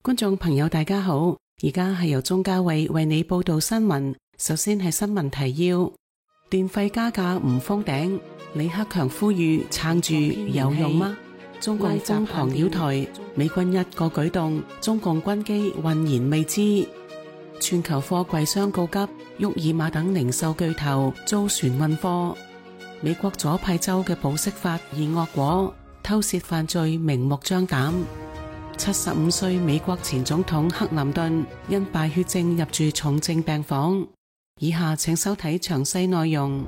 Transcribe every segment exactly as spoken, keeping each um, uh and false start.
觀眾朋友大家好，而家係由鍾嘉慧為你報道新聞。首先係新聞提要：電費加價唔封頂，李克強呼籲撐住有用嗎？中共瘋狂擾台，美軍一個舉動，中共軍機渾然未知。全球貨櫃商告急，沃爾瑪等零售巨頭遭船運貨。美國左派州嘅保釋法現惡果，偷竊犯罪明目張膽。七十五歲美國前總統克林頓因敗血症入住重症病房。以下請收睇詳細內容。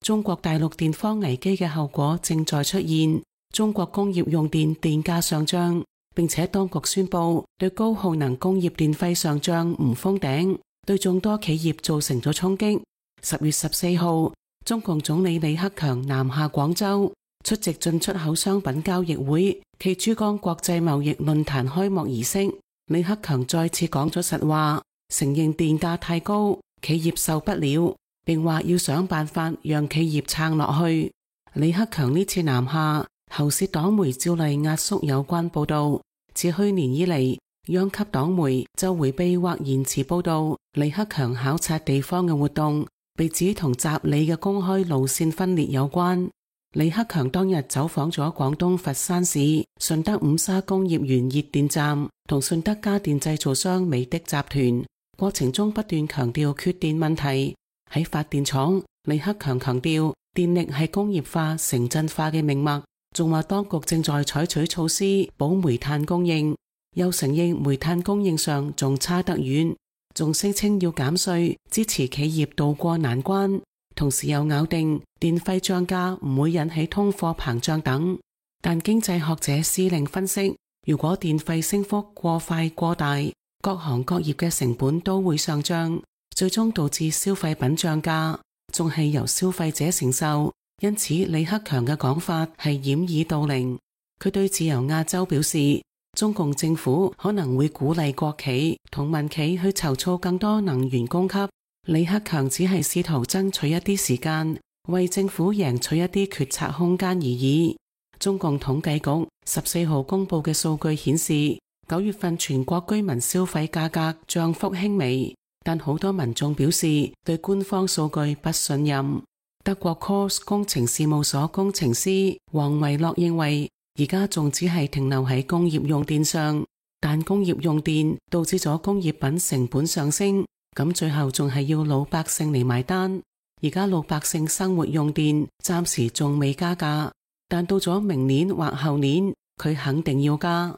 中國大陸電荒危機嘅後果正在出現，中國工業用電電價上漲，並且當局宣布對高耗能工業電費上漲唔封頂，對眾多企業造成咗衝擊。十月十四號，中共總理李克強南下廣州，出席進出口商品交易會暨珠江國際貿易論壇開幕儀式。李克強再次講咗實話，承認電價太高，企業受不了，並話要想辦法讓企業撐落去。李克強呢次南下，喉舌黨媒照例壓縮有關報道。自去年以嚟，央級黨媒就回避或延遲報道李克強考察地方嘅活動，被指同習李嘅公開路線分裂有關。李克強當日走訪咗廣東佛山市順德五沙工業園熱電站同順德家電製造商美的集團，過程中不斷強調缺電問題。喺發電廠，李克強強調電力係工業化、城鎮化嘅命脈，仲話當局正在採取措施保煤炭供應，又承認煤炭供應上仲差得遠，仲聲稱要減稅，支持企業渡過難關。同時又咬定電費漲價唔會引起通貨膨脹等，但經濟學者施令分析，如果電費升幅過快過大，各行各業嘅成本都會上漲，最終導致消費品漲價，仲係由消費者承受。因此李克強嘅講法係掩耳盜鈴。佢對自由亞洲表示，中共政府可能會鼓勵國企同民企去籌措更多能源供給。李克強只係試圖爭取一啲時間，為政府贏取一啲決策空間而已。中共統計局十四號公布嘅數據顯示，九月份全國居民消費價格漲幅輕微，但好多民眾表示對官方數據不信任。德國 K O S 工程事務所工程師黃維樂認為，而家仲只係停留喺工業用電上，但工業用電導致咗工業品成本上升。咁最後仲係要老百姓嚟埋單。而家老百姓生活用電暫時仲未加價，但到咗明年或後年，佢肯定要加。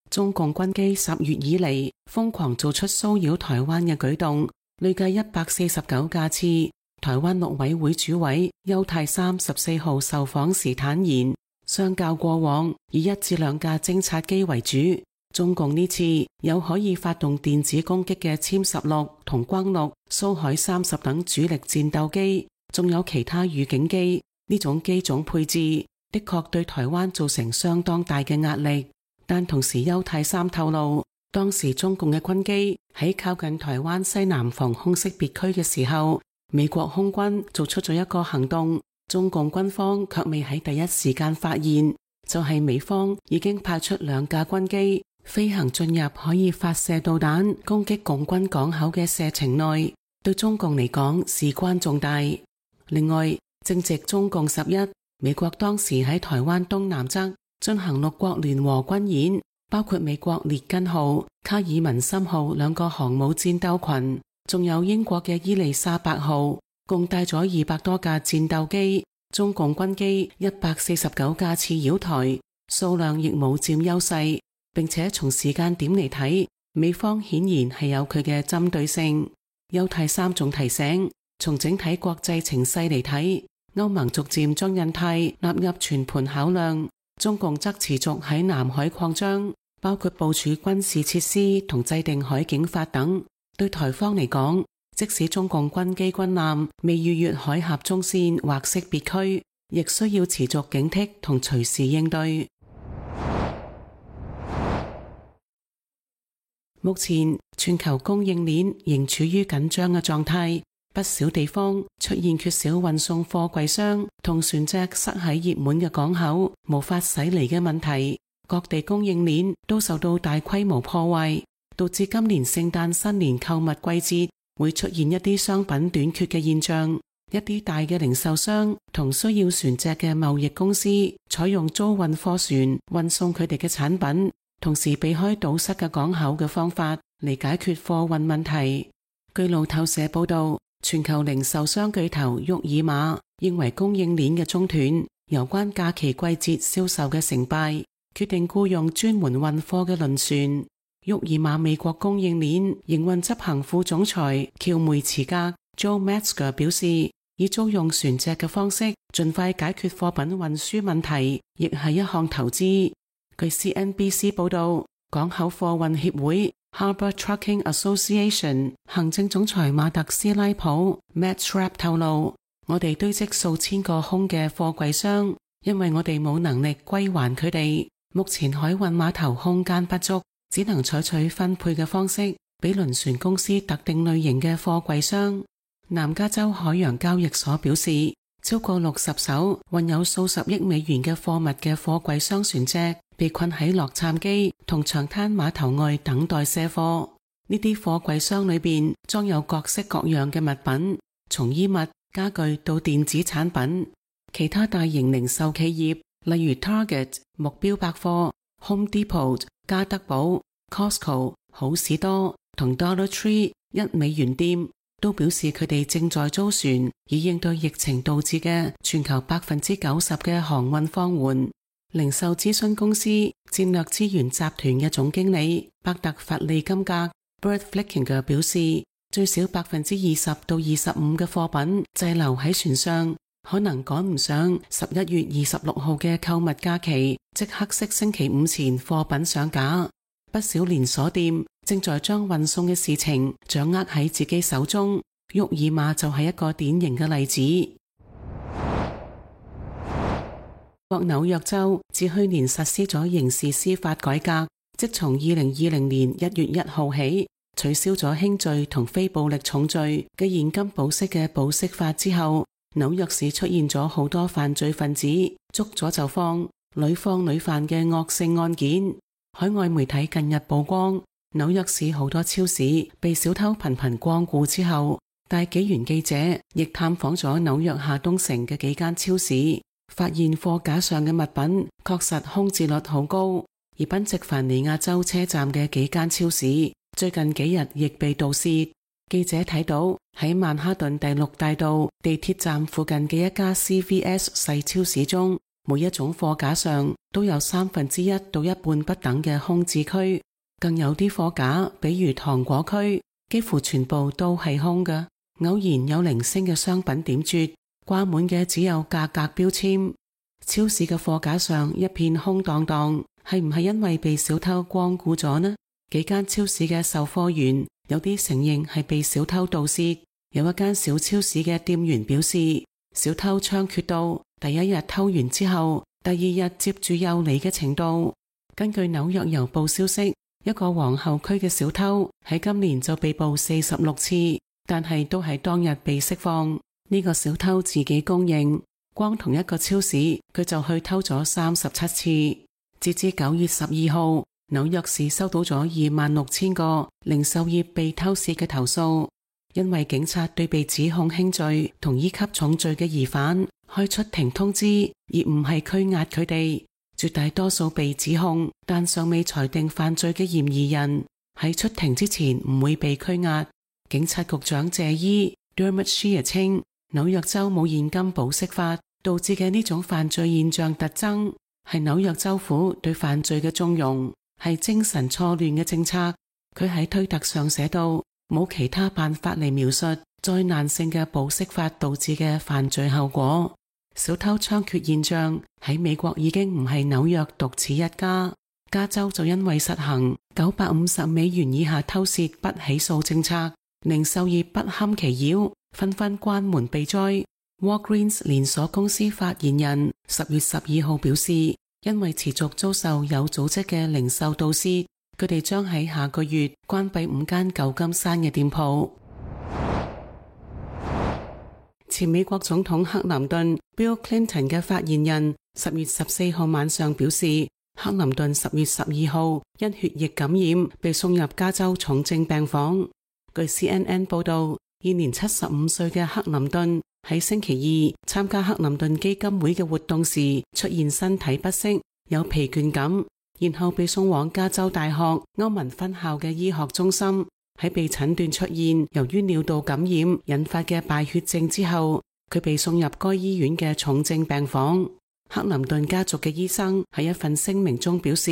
中共軍機十月以嚟瘋狂做出騷擾台灣嘅舉動，累計一百四十九架次。台灣陸委會主委邱太三十四號受訪時坦言，相較過往以一至兩架偵察機為主，中共呢次有可以發動電子攻擊嘅殲十六同轟六、蘇海三十等主力戰鬥機，仲有其他預警機。呢種機種配置的確對台灣造成相當大嘅壓力。但同時邱太三透露，當時中共嘅軍機喺靠近台灣西南防空識別區嘅時候，美國空軍做出咗一個行動，中共軍方卻未喺第一時間發現，就係美方已經派出兩架軍機飛行進入可以發射導彈攻擊共軍港口嘅射程內，對中共嚟講事關重大。另外，正值中共十一，美國當時喺台灣東南側進行六國聯合軍演，包括美國列根號、卡爾文森號兩個航母戰鬥群，仲有英國嘅伊麗莎白號，共帶咗二百多架戰鬥機。中共軍機一百四十九架次擾台，數量亦冇佔優勢。並且從時間點嚟睇，美方顯然係有佢嘅針對性。邱太三仲提醒，從整體國際情勢嚟睇，歐盟逐漸將印太納入全盤考量，中共則持續喺南海擴張，包括部署軍事設施同制定海警法等。對台方嚟講，即使中共軍機軍艦未逾越海峽中線或識別區，亦需要持續警惕同隨時應對。目前全球供應鏈仍處於緊張嘅狀態，不少地方出現缺少運送貨櫃箱同船隻塞喺熱門嘅港口無法駛離嘅問題，各地供應鏈都受到大規模破壞，導致今年聖誕新年購物季節會出現一啲商品短缺嘅現象。一啲大嘅零售商同需要船隻嘅貿易公司採用租運貨船運送佢哋嘅產品，同時避開堵塞嘅港口嘅方法嚟解決貨運問題。據路透社報道，全球零售商巨頭沃爾瑪認為供應鏈嘅中斷有關假期季節銷售嘅成敗，決定僱用專門運貨嘅輪船。沃爾瑪美國供應鏈營運執行副總裁喬梅茨格 Joe Metzger 表示，以租用船隻嘅方式盡快解決貨品運輸問題，亦係一項投資。據 C N B C 報道，港口貨運協會 Harbour Trucking Association 行政總裁馬特斯拉普 Matt Schrapp 透露，我哋堆積數千個空嘅貨櫃箱，因為我哋冇能力歸還佢哋。目前海運碼頭空間不足，只能採取分配嘅方式，俾輪船公司特定類型嘅貨櫃箱。南加州海洋交易所表示，超過六十艘運有數十億美元嘅貨物嘅貨櫃箱船隻被困喺洛杉磯同長灘碼頭外等待卸貨。呢啲貨櫃箱裏邊裝有各式各樣嘅物品，從衣物、家具到電子產品。其他大型零售企業，例如 Target、目標百貨、Home Depot、加德寶、Costco、好市多同 Dollar Tree 一美元店，都表示佢哋正在租船，以應對疫情導致嘅全球百分之九十嘅航運放緩。零售諮詢公司戰略資源集團嘅總經理伯特弗利金格 Bert Flickinger 表示，最少百分之二十到二十五嘅貨品滯留喺船上，可能趕唔上十一月二十六號嘅購物假期，即黑色星期五前貨品上架。不少連鎖店正在將運送嘅事情掌握喺自己手中，沃爾瑪就係一個典型嘅例子。國紐約州自去年實施咗刑事司法改革，即從二零二零年一月一號起取消咗輕罪同非暴力重罪嘅現金保釋嘅保釋法之後，紐約市出現咗好多犯罪分子捉咗就放、屢放屢犯嘅惡性案件。海外媒體近日曝光，紐約市好多超市被小偷頻頻光顧之後，大紀元記者亦探訪咗紐約下東城嘅幾間超市，發現貨架上嘅物品確實空置率好高。而賓夕凡尼亞州車站嘅幾間超市最近幾日亦被盜竊。記者睇到喺曼哈頓第六大道地鐵站附近嘅一家 C V S 細超市中，每一種貨架上都有三分之一到一半不等嘅空置區，更有啲貨架，比如糖果區，幾乎全部都係空嘅，偶然有零星嘅商品點綴，掛滿嘅只有價格標籤。超市嘅貨架上一片空蕩蕩，係唔係因為被小偷光顧咗呢？幾間超市嘅售貨員有啲承認係被小偷盜竊，有一間小超市嘅店員表示，小偷猖獗到第一日偷完之後，第二日接住又嚟嘅程度。根據紐約郵報消息，一個皇后區嘅小偷喺今年就被捕四十六次，但係都係當日被釋放。呢個小偷自己供認，光同一個超市佢就去偷咗三十七次。截至九月十二號，紐約市收到咗二萬六千個零售業被偷竊嘅投訴，因為警察對被指控輕罪同一級重罪嘅疑犯開出停通知，而唔係拘押佢哋。絕大多數被指控但尚未裁定犯罪嘅嫌疑人喺出庭之前唔會被拘押。警察局長謝伊 Dermot Shear 稱，紐約州冇現金保釋法導致嘅呢種犯罪現象特徵係紐約州府對犯罪嘅縱容，係精神錯亂嘅政策。佢喺推特上寫道，冇其他辦法嚟描述災難性嘅保釋法導致嘅犯罪後果。小偷猖獗現象喺美國已經唔係紐約獨此一家，加州就因為實行九百五十美元以下偷竊不起訴政策，零售業不堪其擾，紛紛關門避災。Walgreens 連鎖公司發言人十月十二號表示，因為持續遭受有組織嘅零售盜竊，佢哋將喺下個月關閉五間舊金山嘅店鋪。前美國總統克林頓 Bill Clinton 嘅發言人十月十四號晚上表示，克林頓十月十二號因血液感染被送入加州重症病房。據 C N N 報道，現年七十五歲嘅克林頓喺星期二參加克林頓基金會嘅活動時出現身體不適，有疲倦感，然後被送往加州大學歐文分校嘅醫學中心。喺被診斷出現由於尿道感染引發嘅敗血症之後，佢被送入該醫院嘅重症病房。克林頓家族嘅醫生喺一份聲明中表示，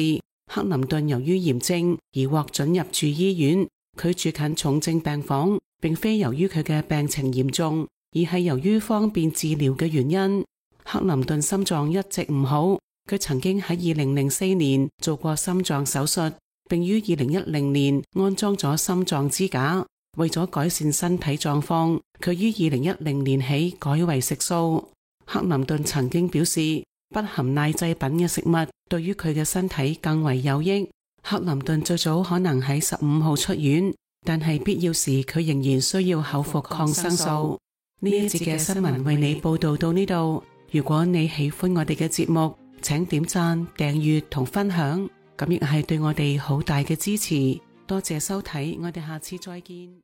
克林頓由於炎症而獲准入住醫院，佢住近重症病房，並非由於佢嘅病情嚴重，而係由於方便治療嘅原因。克林頓心臟一直唔好，佢曾經喺二零零四年做過心臟手術，並於二零一零年安裝咗心臟支架。為咗改善身體狀況，佢於二零一零年起改為食素。克林頓曾經表示，不含奶製品嘅食物對於佢嘅身體更為有益。克林頓最早可能喺十五號出院，但係必要時佢仍然需要口服抗生素。呢一節嘅新聞為你報道到呢度。如果你喜歡我哋嘅節目，請點讚、訂閱同分享，咁亦係對我哋好大嘅支持。多謝收睇，我哋下次再見。